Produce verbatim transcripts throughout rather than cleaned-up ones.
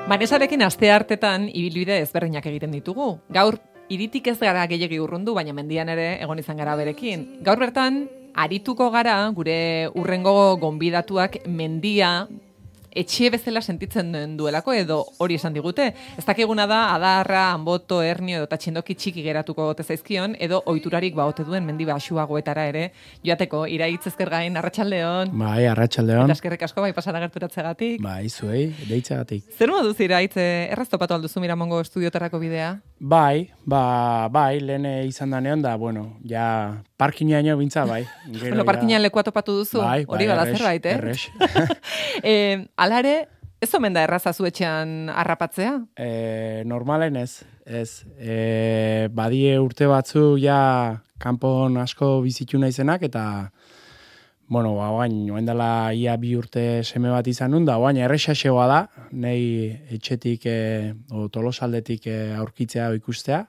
Banesarekin aste hartetan ibilbide ezberdinak egiten ditugu. Gaur hiritik ez gara gehiegi urrundu, baina mendian ere egon izan gara berekin. Gaur bertan arituko gara gure urrengo gonbidatuak mendia etxe bezala sentitzen duelako edo hori esan digute. Ez dakiguna da adarra, anboto, hernio edo txindoki txiki geratuko gote zaizkion edo ohiturarik baote duen mendi baxuagoetara ere joateko. Iraitz Ezkergain, arratsaldeon. Bai, arratsaldeon. Eta eskerrik asko bai pasara gerturatzegatik. Bai, zuei, deitzegatik. Zer moduz Iraitz, erraz topatu alduzu Miramongo estudiotarako bidea? Bai, ba, bai, lehen izan da neon da, bueno, ja parkinaino bintza, bai. Gero, bueno, parkinan lekua topatu duzu, bai, hori bai, bada errex, zerbait, eh? Errex. eh, alare, ez omen da erraza zuetxean harrapatzea? E, normalen ez, ez. E, badie urte batzu ja kanpon asko bizitu naizenak eta bueno, ba, oain, oain dela ia bi urte seme bat izan nun da, oain errexaxegoa da, nei etxetik e, o Tolosaldetik e, aurkitzea o ikustea,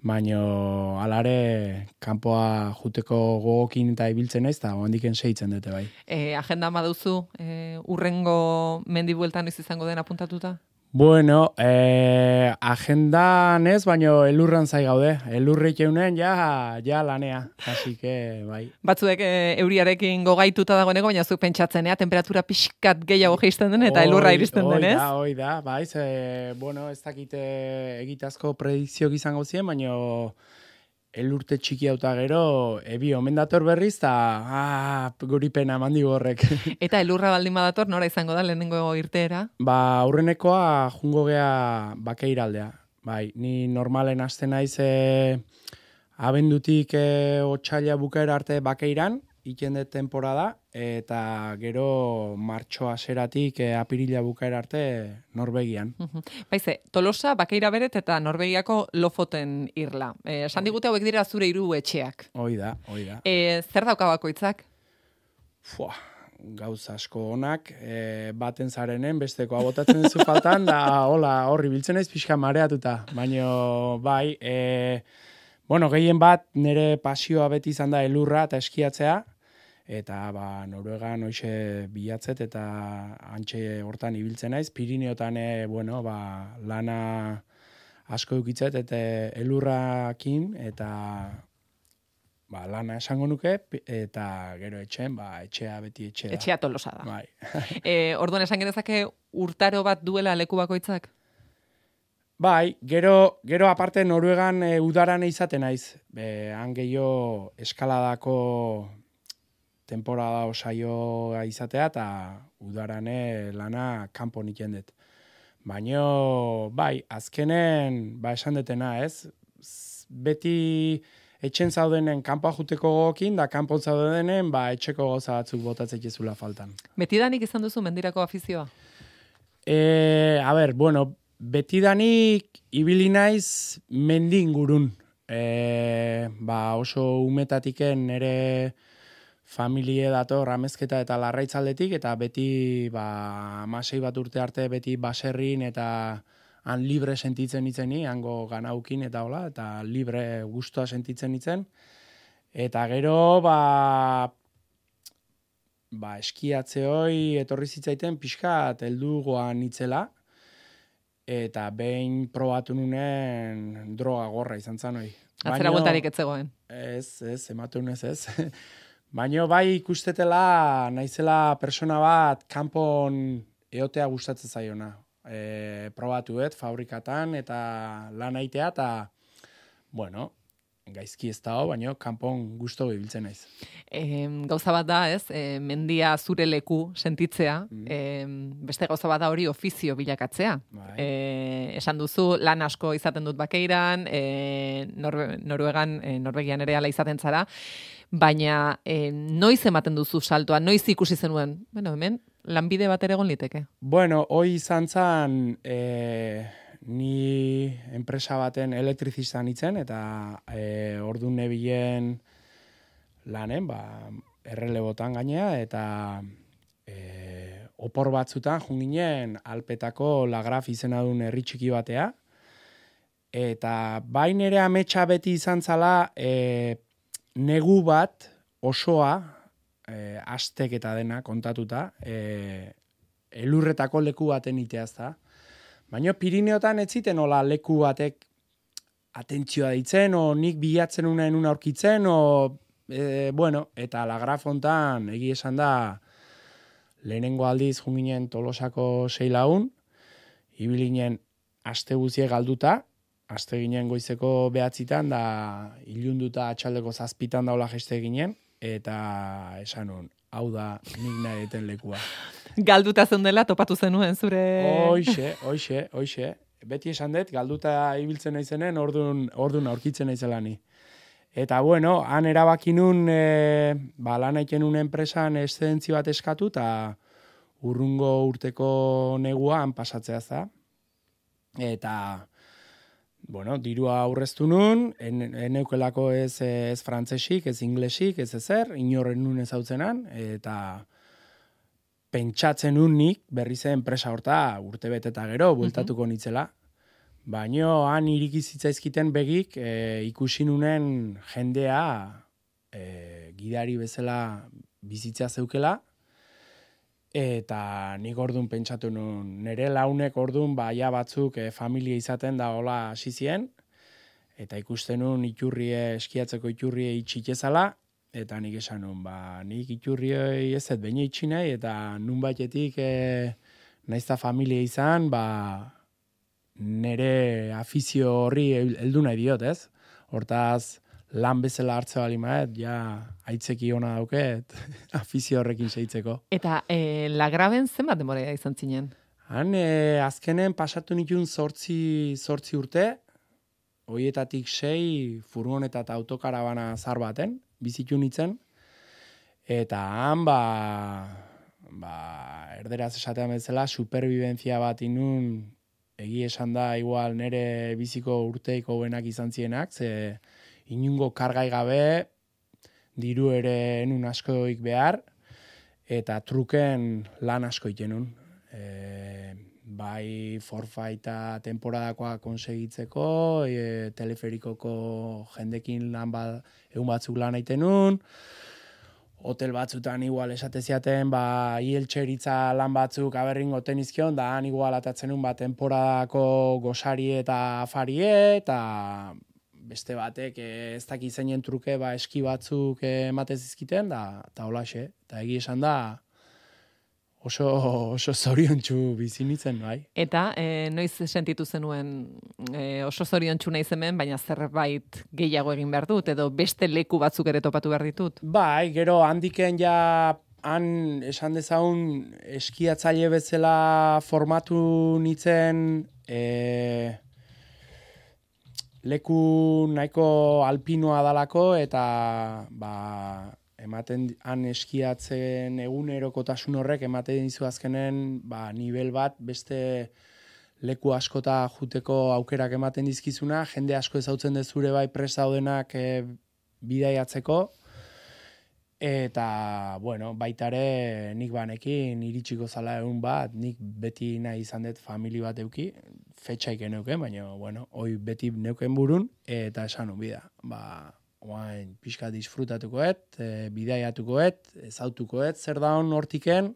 baino alare kanpoa juteko gogokin eta ibiltzen naiz eta oandiken seitzen dute bai. E, agenda baduzu e, urrengo mendi bueltan noiz izango den apuntatuta? Bueno, eh, agendan ez, baino elurran zai gaude. Elurrik eunen ja, ja lanea. Así que, bai. Batzuek e, euriarekin gogaituta dagoeneko, baina zuk pentsatzenea, temperatura pixkat gehiago jeisten den eta elurra iristen denez. Hoi da, hoi da, bai, ze, bueno, ez dakite egitazko predikzioak izango ziren, baino elurte txiki hauta gero, ebi omen dator berriz, eta ah, guri pena mandi horrek. Eta elurra baldin badator, nora izango da lehenengo irteera? Ba, aurrenekoa jungo gea bakeiraldea. Bai, ni normalen hasten naiz e, abendutik e, otsaila bukaera arte bakeiran, ikende temporada, eta gero martxo haseratik e, apirila bukaera arte Norvegian. Baize, Tolosa, Bakeira beret eta Norvegiako Lofoten irla. Eh, esan digute hauek dira zure hiru etxeak. Hoi da, hoi da. Eh, zer dauka bakoitzak? Fua, gauza asko onak, e, baten zarenen, besteko abotatzen duzu faltan, da hola, horri biltzen naiz pixka mareatuta. Baina, bai, e, bueno, gehien bat nire pasioa beti izan da elurra eta eskiatzea, eta ba, Noruegan hoxe bilatzet eta antxe hortan ibiltzen naiz. Pirineotan, e, bueno, ba, lana asko eukitzet eta elurrakin, eta ba, lana esango nuke, eta gero etxen, ba, etxea beti etxea. Etxea Tolosa da. Bai. e, orduan esan genezake urtaro bat duela leku bakoitzak? Bai, gero, gero aparte Noruegan e, udaran izaten naiz. Be, han gehiago eskaladako temporada osaioa izatea eta udarane lana kanpo niken dut. Baina, bai, azkenen, ba, esan detena, ez? Beti etxen zaudenen kanpoa juteko gogokin, da kanpon zaudenen, ba, etxeko goza batzuk botatzek ezula faltan. Betidanik izan duzu mendirako afizioa? E, a ber, bueno, betidanik ibili naiz mendin gurun. E, ba, oso umetatiken nere familie dator amezketa eta larraitzaldetik, eta beti ba, amasei bat urte arte beti baserrin eta han libre sentitzen itzeni, hango ganaukin eta hola, eta libre gustoa sentitzen itzen. Eta gero, ba, ba eskiatze hoi etorri zitzaiten pixkat heldugoan itzela, eta behin probatu nunen droga gorra izan zan hoi. Atzera bueltarik ez zegoen? Ez, ez, ematu nez ez. Baina bai ikustetela naizela persona bat kanpon eotea gustatzen zaiona. E, probatuet fabrikatan eta lan aitea eta, bueno, gaizki ez dago, baina kanpon gusto ibiltzen naiz. E, gauza bat da, ez? E, mendia zure leku sentitzea, mm. e, beste gauza bat da hori ofizio bilakatzea. E, esan duzu, lan asko izaten dut Bakeiran, e, Norve, Noruegan, e, Norvegian ere ala izaten zara, baina e, noiz ematen duzu saltoa, noiz ikusi zenuen, bueno, hemen, lanbide bat ere egon liteke? Bueno, hoi izan zan, e, ni enpresa baten elektrizistan itzen, eta e, ordu nebilen lanen, ba, errelebotan gainea, eta e, opor batzutan junginen Alpetako Lagraf izena duen herri txiki batea, eta bain ere ametsa beti izan zala e, negu bat osoa, e, astek eta dena kontatuta, e, elurretako leku baten iteaz da. Baina Pirineotan ez ziten hola leku batek atentzioa ditzen, o nik bilatzen unaen una aurkitzen, o, e, bueno, eta Lagrafontan, egi esan da, lehenengo aldiz junginen Tolosako sei lagun, ibilinen aste guzie galduta, aste ginen goizeko behatzitan, da ilunduta atxaldeko zazpitan daula jeste ginen, eta esan nun, hau da nik nahi eten lekua. Galduta zeundela topatu zenuen zure... Hoixe, hoixe, hoixe. Beti esan dut, galduta ibiltzen naizenen, ordun, ordun aurkitzen naizela ni. Eta bueno, han erabaki nun, e, ba, lan aiken nun enpresan eszedentzio bat eskatu, eta urrungo urteko negua han pasatzea za. Eta, bueno, dirua aurreztu nun, en, eneukelako ez, ez frantzesik, ez inglesik, ez ezer, inorren nun ezautzenan, eta pentsatzen nun nik, berri zen enpresa horta urte beteta gero, bueltatuko nitzela. Baino han iriki zitzaizkiten begik e, ikusi nunen jendea e, gidari bezala bizitzea zeukela, eta nik ordun pentsatu nun, nire launek ordun baia batzuk e, familia izaten da hola hasi zien, eta ikusten nun iturrie, eskiatzeko iturrie itxitezala, eta nik esan nun, ba, nik iturrioi ez ez baina itxi nahi, eta nun baitetik e, naizta familia izan, ba, nere afizio horri heldu nahi diot, ez? Hortaz, lan bezala hartze bali maet, ja, aitzeki ona dauket, afizio horrekin seitzeko. Eta e, Lagraben zenbat denbora izan zinen? Han, e, azkenen pasatu nituen zortzi, zortzi urte, hoietatik sei furgoneta eta autokarabana zar baten, bizitu nitzen, eta han, ba, ba, erderaz esatean bezala, superviventzia bat inun, egi esan da, igual nere biziko urteiko benak izan zienak, ze inungo kargai gabe, diru ere enun askoik behar, eta truken lan asko itenun. E, bai forfaita temporadakoa konsegitzeko, e, teleferikoko jendekin lan bat, egun batzuk lan aitenun, hotel batzutan igual esate ziaten, ba, hieltxeritza lan batzuk aberrin goten izkion, da han igual atatzen un, ba, temporadako gosari eta afarie, eta beste batek ez daki zeinen truke, ba, eski batzuk ematez izkiten, da, eta holaxe, eta egi esan da, oso, oso zoriontsu bizi nintzen, bai. Eta e, noiz sentitu zenuen e, oso zoriontsu naiz hemen, baina zerbait gehiago egin behar dut, edo beste leku batzuk ere topatu behar ditut? Bai, gero handiken ja han esan dezagun eskiatzaile bezala formatu nitzen e, leku nahiko alpinoa dalako, eta ba, ematen han eskiatzen egunerokotasun horrek ematen dizu azkenen ba, nivel bat beste leku askota juteko aukerak ematen dizkizuna, jende asko ezautzen dezure bai prest daudenak e, bidaiatzeko, eta bueno, baitare nik banekin iritsiko zala egun bat, nik beti nahi izan dut famili bat euki, fetxaik neuken, baina bueno, hoi beti neuken burun, eta esan bida, ba, oain pixka disfrutatukoet, e, bidaiatukoet, ezautukoet, zer da hon hortiken,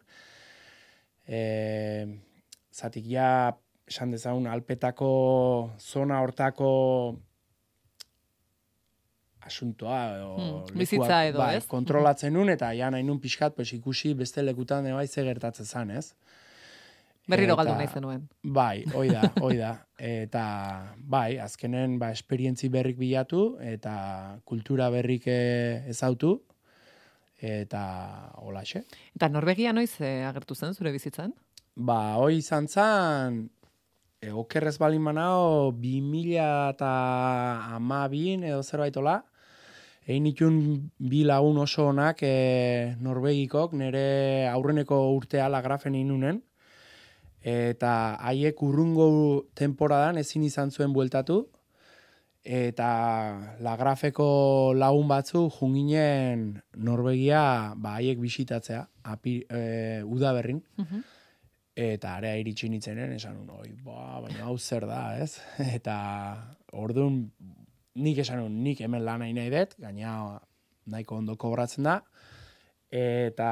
e, zatik ja, esan dezagun, alpetako zona hortako asuntoa, o, hmm, bizitza edo, bai, ez? kontrolatzen nun, eta ja nahi nun pixkat, pues, ikusi beste lekutan bai ze gertatzen zan, ez? Berriro galdu nahi zenuen. Bai, hoi da, hoi da. Eta bai, azkenen ba, esperientzi berrik bilatu, eta kultura berrik ezautu, eta holaxe. Eta Norvegia noiz e, agertu zen zure bizitzan? Ba, hoi izan zan, e, okerrez balin manao, bi mila eta amabin edo zerbaitola, egin itun bi lagun oso onak e, Norvegikok, nire aurreneko urtea Lagrafen inunen, eta haiek urrungo temporadan ezin izan zuen bueltatu, eta Lagrafeko lagun batzu junginen Norvegia ba, haiek bisitatzea, api, e, udaberrin, uh-huh. Eta area iritsi nitzenen, esan un, oi, ba, baina hau zer da, ez? Eta orduan, nik esan un, nik hemen lan nahi nahi dut, gaina nahiko ondo kobratzen da, eta...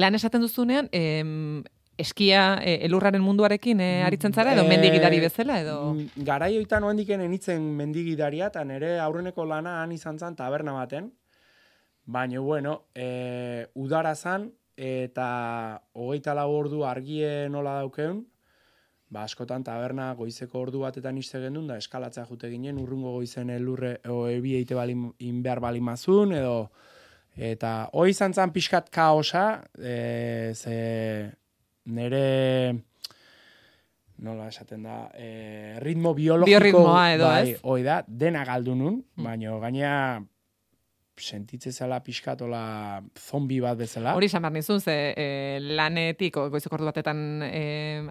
Lan esaten duzunean, em, eskia e, elurraren munduarekin e, aritzen zara, edo Eh, mendigidari bezala, edo... mm, Garai hoitan oendiken enitzen mendigidaria, eta nire aurreneko lana han izan zen taberna baten. Baina, bueno, e, udara zan, eta hogeita lau ordu argie nola daukeun, ba, askotan taberna goizeko ordu batetan iste gendun, da eskalatzea jute ginen, urrungo goizen elurre, o ebi eite bali, inbehar bali mazun, edo, eta hoi izan zan pixkat kaosa, e, ze nere, nola esaten da, e, ritmo biologiko, Biorritmoa edo, bai, ez? hoi da, dena galdu nun, Mm. baina gaina sentitze zela pixkatola zombi bat bezala. Hori esan behar nizun, ze e, lanetik o, goizeko ordu batetan e,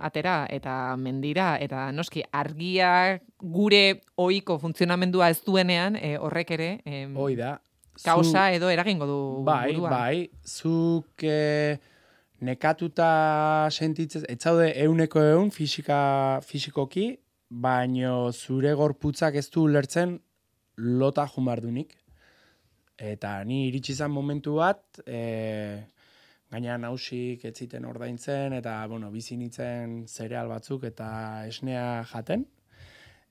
atera, eta mendira, eta noski argia gure ohiko funtzionamendua ez duenean, e, horrek ere e, Hoi da. kausa edo eragingo du Bai, buruan. bai, zuk e, nekatuta sentitzez, ez zaude euneko eun fisika, fisikoki, baino zure gorputzak ez du ulertzen lota jumardunik. Eta ni iritsi izan momentu bat, e, gaina nausik ez ziten ordaintzen, eta bueno, bizi nintzen zereal batzuk eta esnea jaten.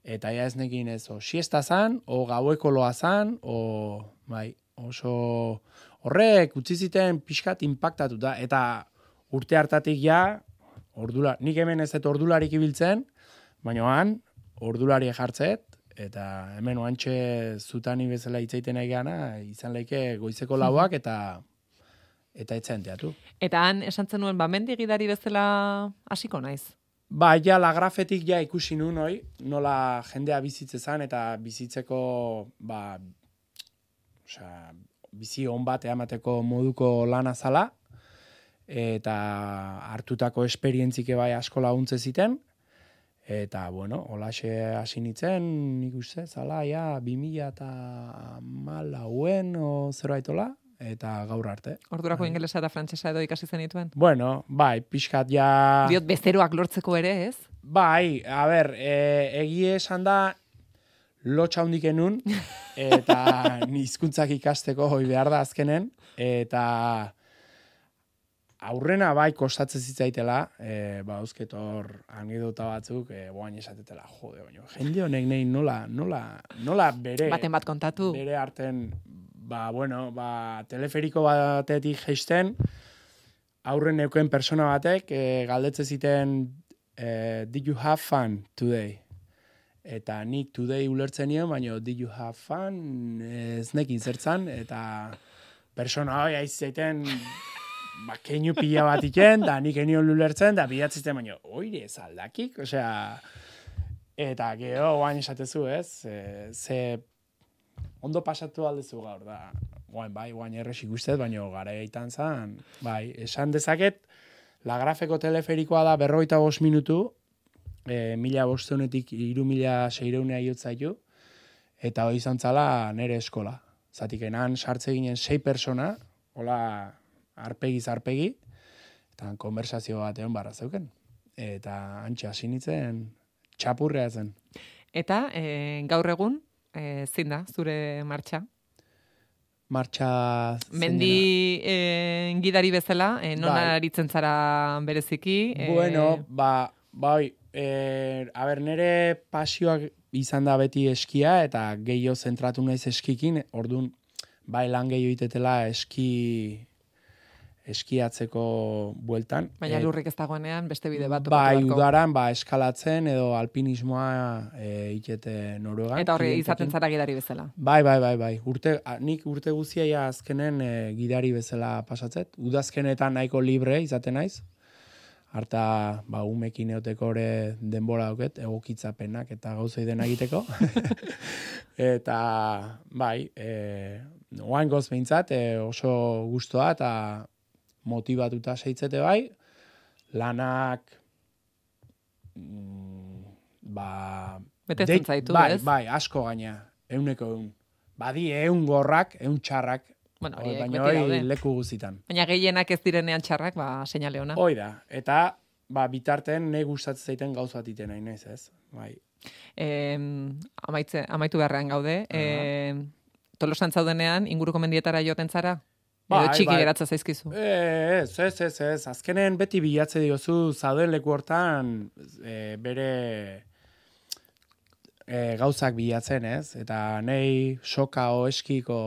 Eta ja ez nekin ez, o siesta zan, o gaueko loa zan, o bai, oso horrek utzi ziten pixkat inpaktatuta. Eta urte hartatik ja, ordula, nik hemen ez dut ordularik ibiltzen, baina han, ordulari jartzet, eta hemen oantxe zutani bezala hitzaiten nahi gana, izan leike goizeko lauak eta eta etzen teatu. Eta han esan zenuen, ba, mendigidari bezala hasiko naiz. Ba, ja, lagrafetik ja ikusi nun hoi, nola jendea bizitze zan, eta bizitzeko, ba, osea, bizi on bat eamateko moduko lana zala, eta hartutako esperientzike bai asko laguntze ziten, eta, bueno, holaxe hasi nintzen, nik uste, zala, ja, bi mila eta hamalauen o zerbaitola, eta gaur arte. Ordurako Bai. ingelesa eta frantsesa edo ikasi zenituen? Bueno, bai, pixkat ja... Diot, bezeroak lortzeko ere, ez? Bai, a ber, e, egie esan da lotxa hundiken nun, eta ni hizkuntzak ikasteko hoi behar da azkenen, eta aurrena bai kostatzen zitzaitela, e, ba, eusketor anedota batzuk, e, boain esatetela, jode, baina jende honek nahi nola, nola, nola bere... Baten bat kontatu. Bere arten, ba, bueno, ba, teleferiko batetik jeisten, aurren neuken persona batek, e, galdetze ziten, e, did you have fun today? Eta nik today ulertzen nion, baina did you have fun ez nekin zertzan, eta persona hoi aizaiten, ba, keinu pila bat iken, da nik enion ulertzen, da bidatzizten, baina oire ez aldakik, osea, eta gero guain esatezu, ez, e, ze ondo pasatu aldezu gaur, da, guain bai, guain erresik ustez, baina gara eitan zan, bai, esan dezaket, lagrafeko teleferikoa da berroita bost minutu, e, mila bosteunetik iru mila seireunea iotzaitu, eta hori izan zala nere eskola. Zatik enan sartze ginen sei persona, hola arpegiz arpegi, eta konversazio batean barra zeuken. Eta antxe hasi nintzen txapurrea zen. Eta e, gaur egun, e, zin da, zure martxa? Martxa... Mendi e, gidari bezala, e, non Bai. aritzen zara bereziki? E, Bueno, ba, bai, e, a ber, nere pasioak izan da beti eskia, eta gehiago zentratu naiz eskikin, orduan, bai lan gehiago itetela eski eskiatzeko bueltan. Baina Et- lurrik ez dagoenean, beste bide bat. Bai, topatu beharko. udaran, ba, eskalatzen edo alpinismoa e, itete Noruegan. Eta horre klientekin. izaten zara gidari bezala. Bai, bai, bai, bai. Urte, a, nik urte guztia ja azkenen e, gidari bezala pasatzet. Udazkenetan nahiko libre izaten naiz. Harta, ba, umekin eoteko ere denbora dauket, egokitzapenak eta gauzei dena egiteko. Eta, bai, e, oain goz behintzat, e, oso gustoa eta motivatuta seitzete bai, lanak, mm, ba... Betetzen deit- zaitu, bai, ez? Bai, asko gaina, euneko eun. Badi eun gorrak, eun txarrak, Bueno, hori, horiek baina beti hori daude. leku guztitan. Baina gehienak ez direnean txarrak, ba, seinale ona. Hoi da, eta ba, bitarten ne gustatzen zaiten gauz bat iten nahi naiz, ez? Bai. E, amaitze, amaitu beharrean gaude. E, Tolosan zaudenean, inguruko mendietara joaten zara? Bai, Edo txiki bai. geratza zaizkizu. E, ez, ez, ez, ez. Azkenen beti bilatze diozu zauden leku hortan e, bere e, gauzak bilatzen, ez? Eta nei soka o eskiko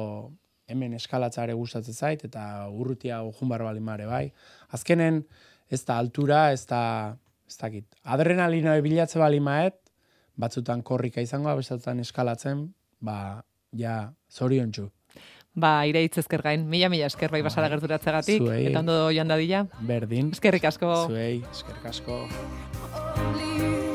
hemen eskalatzare gustatzen zait, eta urrutia ojun barbalin mare, bai. Azkenen ez da altura, ez da, ez dakit. Adrenalina bilatze bali maet, batzutan korrika izango, batzutan eskalatzen, ba, ja, zoriontsu. Ba, ireitz ezker gain, mila-mila esker bai basara gerturatzegatik, Zuei. eta ondo joan dadila. Berdin. Eskerrik asko. Zuei, eskerrik asko. Only